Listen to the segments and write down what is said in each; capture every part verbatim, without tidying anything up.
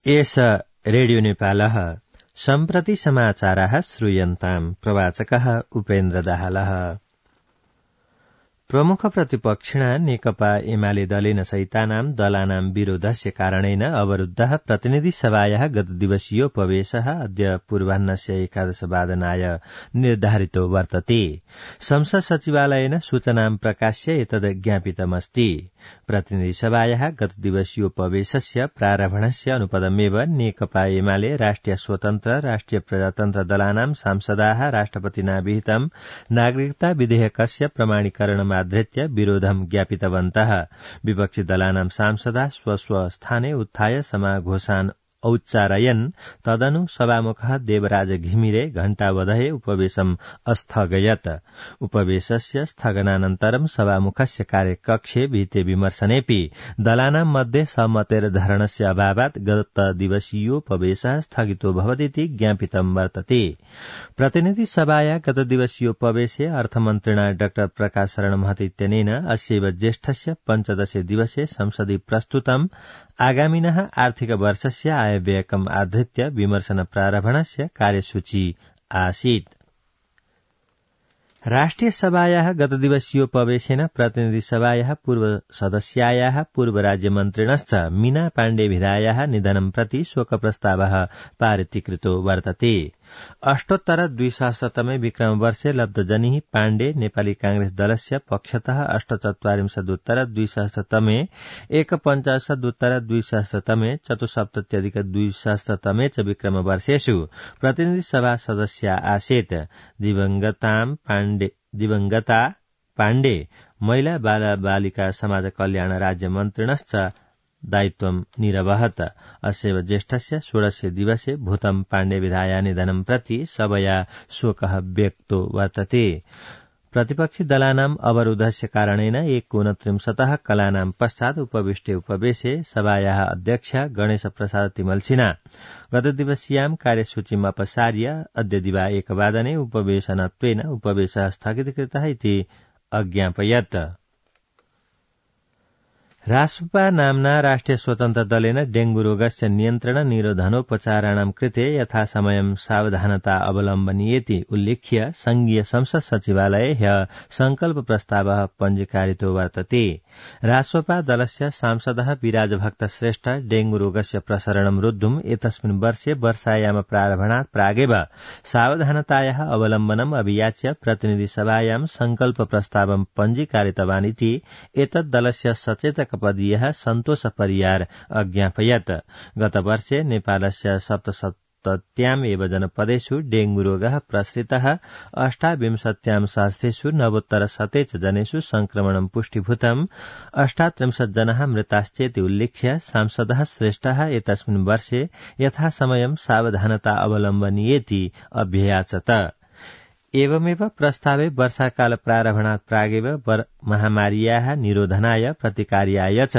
एष रेडियो नेपालः सम्प्रति समाचाराः श्रूयन्ताम्। प्रवाचकः उपेन्द्र दाहालः। प्रमुख प्रतिपक्षिणा नेकपा एमाले दलेन सहितानां दलानां विरोधस्य कारणेन अवरुद्धः प्रतिनिधि सभायाः गत दिवसीयोपवेशः अद्य पूर्वाह्नस्य एकादशवादनाय निर्धारितो वर्तते। संसद सचिवालयेन सूचनां प्रकाश्य एतद् ज्ञापितमस्ति। प्रतिनिधि सभायाः गत दिवसीयोपवेशस्य प्रारम्भणस्य अनुपदमेव नेकपा एमाले राष्ट्रिय स्वतन्त्र राष्ट्रिय प्रजातन्त्र दलानां सांसदाः राष्ट्रपतिना विहितं नागरिकता विधेयकस्य प्रमाणीकरणम् आधृत्य विरोधं ज्ञापितवन्तः। विपक्षी दलानां सांसदाः स्वस्व स्थाने उत्थाय समाघोषान् औच्चारयन्। तदनु सभामुखः देवराज घिमिरे घण्टावधये उपवेशम् अस्थगयत्। उपवेशस्य स्थगनानन्तरं सभामुखस्य कार्यकक्षे विहिते विमर्शनेऽपि दलानां मध्ये सहमतेर्धरणस्य अभावात् गत दिवसीयोपवेशः स्थगितो भवतीति ज्ञापितं वर्तते। प्रतिनिधि सभाया गत दिवसीयोपवेशे अर्थमन्त्रिणा डाक्टर प्रकाश शरण महत इत्यनेन अस्यैव ज्येष्ठस्य पञ्चदशे दिवसे संसदि प्रस्तुतम् आगामिनः आर्थिक वर्षस्य आयव्ययकम् आधृत्य विमर्शन प्रारम्भणस्य कार्यसूची आसीत्। राष्ट्रिय सभायाः गत दिवसीयोपवेशेन प्रतिनिधि सभायाः पूर्व सदस्यायाः पूर्व राज्यमन्त्रिणश्च मीना पाण्डे विधायाः निधनं प्रति शोकप्रस्तावः पारितीकृतो वर्तते। अष्टोत्तर द्विसहस्रतमे विक्रमवर्षे लब्धजनिः पाण्डे नेपाली कांग्रेस दलस्य पक्षतः अष्टचत्वारिंशदुत्तर द्विसहस्रतमे एकपञ्चाशदुत्तर द्विसहस्रतमे चतुस्सप्तत्यधिक द्विसहस्रतमे च विक्रमवर्षेषु प्रतिनिधि सभा सदस्या आसीत्। दिवंगतां पाण्डे दिवंगता पाण्डे महिला बाल बालिका समाज कल्याण राज्यमन्त्रिणश्च दायित्वं निरवहत्। अस्यैव ज्येष्ठस्य षोडशे दिवसे भूतं पाण्डे विधाया निधनं प्रति सभया शोकः व्यक्तो वर्तते। प्रतिपक्षी दलानाम् अवरोधस्य कारणेन एकोनत्रिंशतः कलानां पश्चात् उपविष्टे उपवेशे सभायाः अध्यक्ष गणेश प्रसाद तिमल्सिना गतदिवसीयां कार्यसूचीम् अपसार्य अद्य दिवा एकवादने उपवेशनत्वेन उपवेशः स्थगितकृतः इति अज्ञापयत्। रासपा नाम्ना राष्ट्रिय स्वतन्त्र दलेन डेंगू रोगस्य नियन्त्रण निरोधनोपचाराणां कृते यथासमयं सावधानता अवलम्बनीयेति उल्लिख्य संघीय संसद सचिवालये ह्यः संकल्प प्रस्तावः पञ्जीकारितो वर्तते। रासपा दलस्य सांसदः विराजभक्त श्रेष्ठ डेंगू रोगस्य प्रसरणं रोद्धुम् एतस्मिन् वर्षे वर्षायाम प्रारम्भणात् प्रागेव सावधानतायाः अवलम्बनम् अभियाच्य प्रतिनिधि सभायां संकल्प प्रस्तावं पञ्जीकारितवान् इति एतद् दलस्य सचेतक पदीयः सन्तोष परियार अज्ञापयत्। गतवर्षे नेपालस्य सप्तसप्तत्याम् एव जनपदेषु डेंगू रोगः प्रसृतः अष्टाविंशत्यां सहस्रेषु नवोत्तर शते च जनेषु संक्रमणं पुष्टिभूतम् अष्टात्रिंशत् जनाः मृताश्चेति उल्लिख्य सांसदः श्रेष्ठः एतस्मिन् वर्षे यथासमयं सावधानता अवलम्बनीयेति अभ्ययाचत। एवमेव प्रस्तावे वर्षाकाल प्रारम्भणात् प्रागेव महामार्याः निरोधनाय प्रतिकार्याय च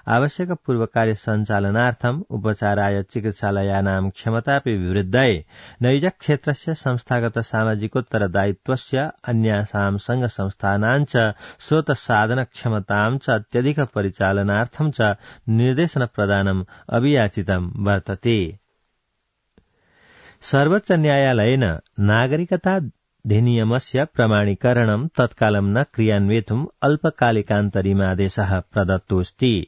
आवश्यक पूर्वकार्य सञ्चालनार्थम् उपचाराय चिकित्सालयानां क्षमतापि विवृद्धये नैज क्षेत्रस्य संस्थागत सामाजिकोत्तरदायित्वस्य अन्यासां संघ संस्थानां च स्रोत साधन क्षमतां च अत्यधिक परिचालनार्थं च निर्देशन प्रदानम् अभियाचितं वर्तते। सर्वोच्च न्यायालयेन नागरिकता अधिनियमस्य प्रमाणीकरणं तत्कालं न क्रियान्वेतुम् अल्पकालिकान्तरिमादेशः प्रदत्तोऽस्ति।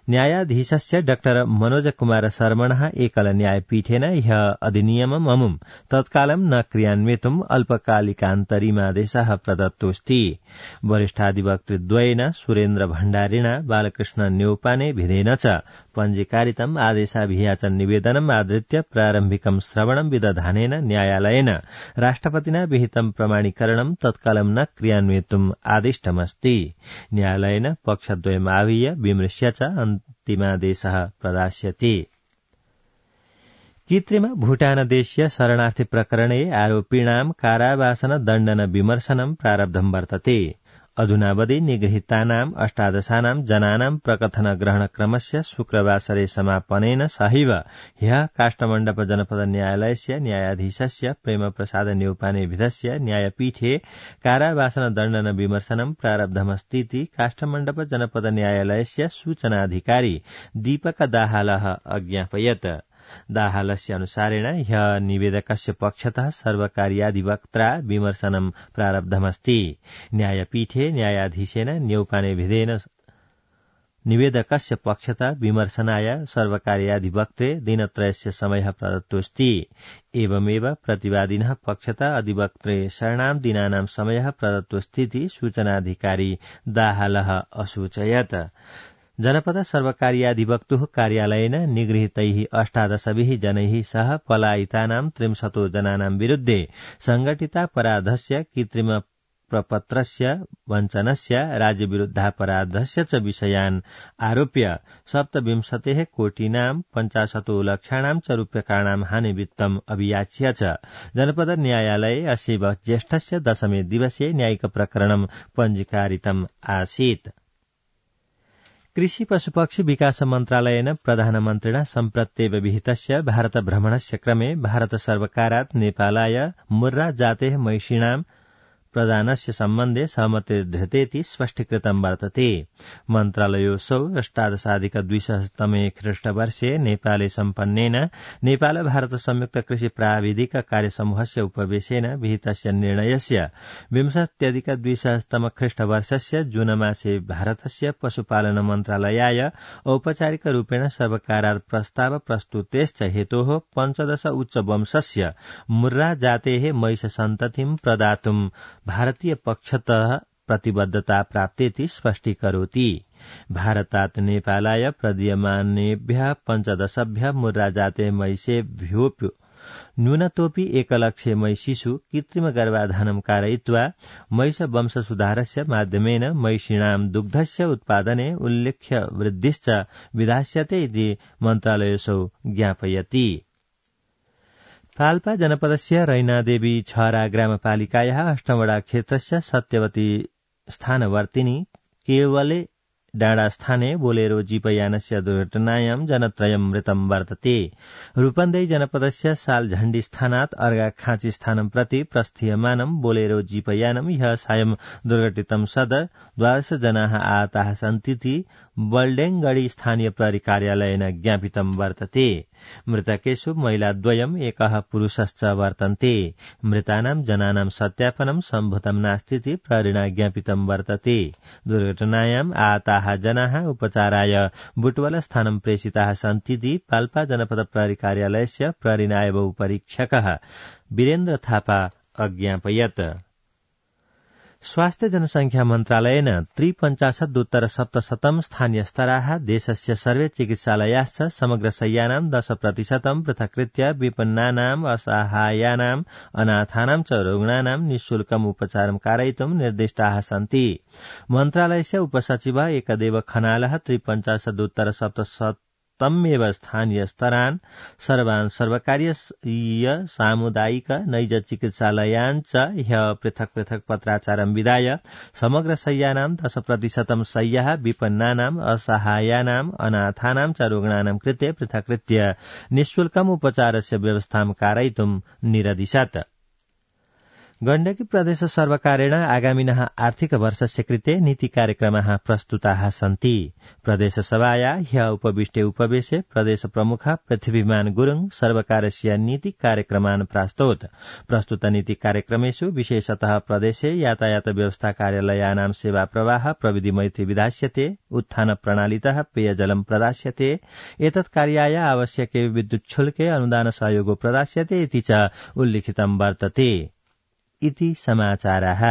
न्यायाधीशस्य डॉक्टर मनोज कुमार शर्मणः एकल न्यायपीठेन ह्यः अधिनियमम् अमुम् तत्कालं न क्रियान्वेतुम् अल्पकालिकान्तरिमादेशः प्रदत्तोऽस्ति। वरिष्ठाधिवक्तृद्वयेन सुरेन्द्र भण्डारिणा बालकृष्ण न्यौपाने भिधेन च पञ्जीकारितम् आदेशाभियाचन निवेदनम् आधृत्य प्रारम्भिकं श्रवणं विदधानेन न्यायालयेन राष्ट्रपतिना विहितं प्रमाणीकरणं तत्कालं न क्रियान्वेतुम् आदिष्टमस्ति। न्यायालयेन पक्षद्वयम् आहूय विमृश्य च अन्तिमादेशः प्रदास्यते। कृत्रिम भूटानदेशीय शरणार्थी प्रकरणे आरोपिणां कारावासन दण्डन विमर्शनं प्रारब्धं वर्तते। अधुनावधि निगृहीतानाम् अष्टादशानां जनानां प्रकथन ग्रहण क्रमस्य शुक्रवासरे समापनेन सहैव ह्यः काष्ठमण्डप जनपद न्यायालयस्य न्यायाधीशस्य प्रेमप्रसाद न्यौपानेभिधस्य न्यायपीठे कारावासन दण्डन विमर्शनं प्रारब्धमस्तीति काष्ठमण्डप जनपद न्यायालयस्य सूचनाधिकारी दीपक दाहालः अज्ञापयत्। दाहालस्य अनुसारेण ह्य निवेदकस्य पक्षतः सर्वकार्याधिवक्त्रा विमर्शनं प्रारब्धमस्ति। न्यायपीठे न्यायाधीशेन न्यौपानेभिधेन निवेदकस्य पक्षतः विमर्शनाय सर्वकार्याधिवक्त्रे दिनत्रयस्य समयः प्रदत्तोऽस्ति। एवमेव प्रतिवादिनः पक्षतः अधिवक्त्रे षण्णां दिनानां समयः प्रदत्तोऽस्तीति सूचनाधिकारी दाहालः असूचयत्। जनपद सर्वकार्याधिवक्तुः कार्यालयेन निगृहीतैः अष्टादशभिः जनैः सह पलायितानां त्रिंशतो जनानां विरुद्धे संघटितापराधस्य कृत्रिम प्रपत्रस्य वञ्चनस्य राज्यविरुद्धापराधस्य च विषयान् आरोप्य सप्तविंशतेः कोटीनां पञ्चाशतो लक्षाणां च रूप्यकाणां हानिवित्तम् अभियाच्य च जनपद न्यायालये अस्यैव ज्येष्ठस्य दशमे दिवसे न्यायिक प्रकरणं पञ्जीकारितम् आसीत्। कृषि पशुपक्षी विकास मन्त्रालयेन प्रधानमन्त्रिणा सम्प्रत्येव विहितस्य भारत भ्रमणस्य क्रमे भारत सर्वकारात् नेपालाय मुर्रा जातेः महिषीणां प्रदानस्य सम्बन्धे सहमतिर्धृतेति स्पष्टीकृतं वर्तते। मन्त्रालयोऽसौ अष्टादशाधिक द्विसहस्रतमे ख्रीष्टवर्षे नेपाले सम्पन्नेन नेपाल भारत संयुक्त कृषि प्राविधिक कार्यसमूहस्य उपवेशेन विहितस्य निर्णयस्य विंशत्यधिक द्विसहस्रतम ख्रीष्टवर्षस्य जूनमासे भारतस्य पशुपालन मन्त्रालयाय औपचारिक रूपेण सर्वकारात् प्रस्ताव प्रस्तुतेश्च हेतोः पञ्चदश उच्चवंशस्य मुर्रा जातेः महिष सन्ततिं प्रदातुं भारतीय पक्षतः प्रतिबद्धता प्राप्तेति स्पष्टीकरोति। भारतात् नेपालाय प्रदीयमानेभ्यः पञ्चदशभ्यः मुर्रा जाते महिषेभ्योऽपि न्यूनतोऽपि एकलक्षे महिषीषु कृत्रिम गर्भाधानं कारयित्वा महिष वंशसुधारस्य माध्यमेन महिषीणां दुग्धस्य उत्पादने उल्लेख्य वृद्धिश्च विधास्यते इति मन्त्रालयोऽसौ ज्ञापयति। पाल्पा जनपदस्य रैनादेवी छहरा ग्रामपालिकायाः अष्टमवडा क्षेत्रस्य सत्यवती स्थानवर्तिनी केवले डाँडास्थाने बोलेरो जीपयानस्य दुर्घटनायां जनत्रयं मृतं वर्तते। रूपन्देही जनपदस्य सालझण्डी स्थानात् अर्घाखाँची स्थानं प्रति प्रस्थीयमानं बोलेरो जीपयानं ह्यः सायं दुर्घटितं सद द्वादश जनाः आहताः सन्तीति बल्डेङगढी स्थानीय प्रहरी कार्यालयेन ज्ञापितं वर्तते। मृतकेषु महिलाद्वयम् एकः पुरुषश्च वर्तन्ते। मृतानां जनानां सत्यापनं सम्भूतं नास्तीति प्रहरिणा ज्ञापितं वर्तते। दुर्घटनायाम् आहताः जनाः उपचाराय बुटवल स्थानं प्रेषिताः सन्तीति पाल्पा जनपद प्रहरी कार्यालयस्य प्रहरी नायब उपरीक्षकः वीरेन्द्र थापा अज्ञापयत्। स्वास्थ्य जनसंख्या मन्त्रालयेन त्रिपञ्चाशदुत्तर सप्तशतं स्थानीयस्तराः देशस्य सर्वे चिकित्सालयाश्च समग्र शय्यानां दश प्रतिशतं पृथक्कृत्य विपन्नानाम् असहायानाम् अनाथानां च रुग्णानां निःशुल्कम् उपचारं कारयितुं निर्दिष्टाः सन्ति। मन्त्रालयस्य उपसचिवः एकदेव खनालः त्रिपञ्चाशदुत्तर सप्तशत तमेव स्थानीय स्तरान् सर्वान् सर्वकारीय सामुदायिक नैज चिकित्सालयान् च ह्यः पृथक् पृथक् पत्राचारं विधाय समग्र शय्यानां दश प्रतिशतं शय्याः विपन्नानाम् असहायानाम् अनाथानां च रुग्णानां कृते पृथक्कृत्य निःशुल्कम् उपचारस्य व्यवस्थां कारयितुं निरदिशत्। गण्डकी प्रदेश सर्वकारेण आगामिनः आर्थिक वर्षस्य कृते नीति कार्यक्रमाः प्रस्तुताः सन्ति। प्रदेशसभाया ह्यः उपविष्टे उपवेशे प्रदेश प्रमुख पृथ्वीमान गुरुङ सर्वकारस्य नीति कार्यक्रमान् प्रास्तोत्। प्रस्तुत नीति कार्यक्रमेषु विशेषतः प्रदेशे यातायात व्यवस्था कार्यालयानां सेवा प्रवाह प्रविधि मैत्री विधास्यते, उत्थान प्रणालीतः पेयजलं प्रदास्यते, एतत् कार्याय आवश्यके विद्युच्छुल्के अनुदान सहयोगो प्रदास्यते इति च उल्लिखितं वर्तते। इति समाचाराः।